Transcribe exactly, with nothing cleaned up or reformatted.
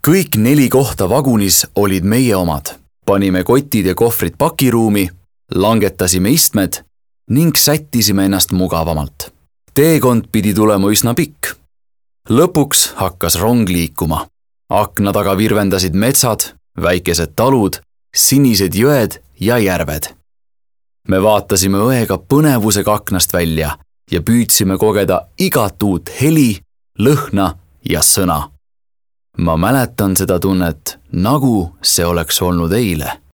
Kõik neli kohta vagunis olid meie omad. Panime kotid ja kohvrid pakiruumi, langetasime istmed ning sättisime ennast mugavamalt. Teekond pidi tulema üsna pikk. Lõpuks hakkas rong liikuma. Akna taga virvendasid metsad, väikesed talud, sinised jõed ja järved. Me vaatasime õega põnevusega aknast välja ja püüdsime kogeda igat uut heli, lõhna ja sõna. Ma mäletan seda tunnet, nagu see oleks olnud eile.